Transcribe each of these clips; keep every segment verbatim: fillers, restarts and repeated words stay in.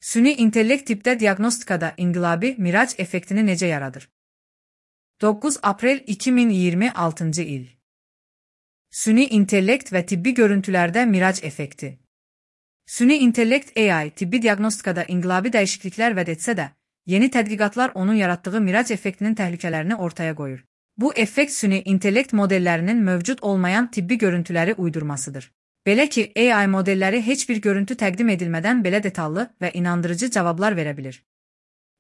Süni intellekt tibbdə diaqnostikada inqilabi Mirac effektini necə yaradır? doqquz aprel iki min iyirmi altıncı il. Süni intellekt və tibbi görüntülərdə Mirac effekti. Süni intellekt A I tibbi diaqnostikada inqilabi dəyişikliklər vəd etsə də, yeni tədqiqatlar onun yaratdığı Mirac effektinin təhlükələrini ortaya qoyur. Bu effekt süni intellekt modellərinin mövcud olmayan tibbi görüntüləri uydurmasıdır. Belə ki, A I modelləri heç bir görüntü təqdim edilmədən belə detallı və inandırıcı cavablar verə bilir.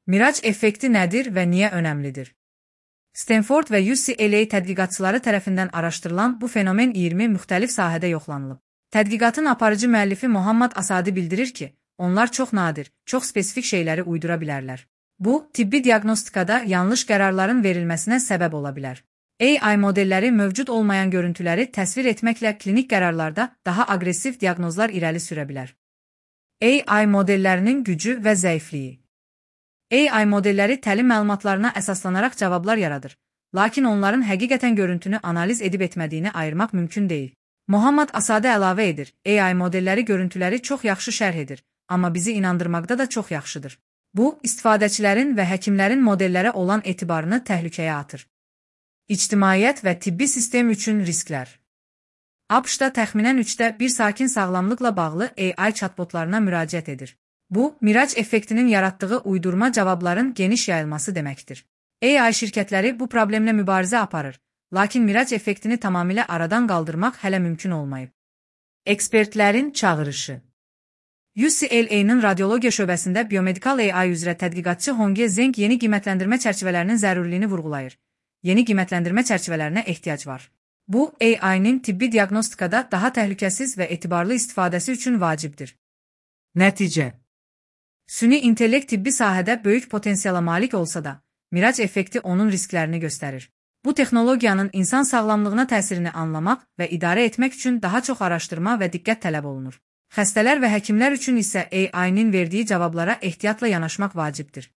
Mirac effekti nədir və niyə önəmlidir? Stanford və U C L A tədqiqatçıları tərəfindən araşdırılan bu fenomen iyirmi müxtəlif sahədə yoxlanılıb. Tədqiqatın aparıcı müəllifi Muhammad Asadi bildirir ki, onlar çox nadir, çox spesifik şeyləri uydura bilərlər. Bu, tibbi diaqnostikada yanlış qərarların verilməsinə səbəb ola bilər. A I modelləri mövcud olmayan görüntüləri təsvir etməklə klinik qərarlarda daha aqressiv diaqnozlar irəli sürə bilər. A I modellərinin gücü və zəifliyi. A I modelləri təlim məlumatlarına əsaslanaraq cavablar yaradır, lakin onların həqiqətən görüntünü analiz edib etmədiyini ayırmaq mümkün deyil. Muhammad Asadi əlavə edir, A I modelləri görüntüləri çox yaxşı şərh edir, amma bizi inandırmaqda da çox yaxşıdır. Bu, istifadəçilərin və həkimlərin modellərə olan etibarını təhlükəyə atır. İctimaiyyət və tibbi sistem üçün risklər. ABŞ-da təxminən üçdə bir sakin sağlamlıqla bağlı A I chatbotlarına müraciət edir. Bu, Mirac effektinin yaratdığı uydurma cavabların geniş yayılması deməkdir. A I şirkətləri bu problemlə mübarizə aparır, lakin Mirac effektini tamamilə aradan qaldırmaq hələ mümkün olmayıb. Ekspertlərin çağırışı. U C L A-nın radiologiya şöbəsində biomedikal A I üzrə tədqiqatçı Hongye Zeng yeni qiymətləndirmə çərçivələrinin zəruriliyini vurğulayır. Yeni qiymətləndirmə çərçivələrinə ehtiyac var. Bu, A I-nin tibbi diaqnostikada daha təhlükəsiz və etibarlı istifadəsi üçün vacibdir. Nəticə. Süni intellekt tibbi sahədə böyük potensiala malik olsa da, Mirac effekti onun risklərini göstərir. Bu texnologiyanın insan sağlamlığına təsirini anlamaq və idarə etmək üçün daha çox araşdırma və diqqət tələb olunur. Xəstələr və həkimlər üçün isə A I-nin verdiyi cavablara ehtiyatla yanaşmaq vacibdir.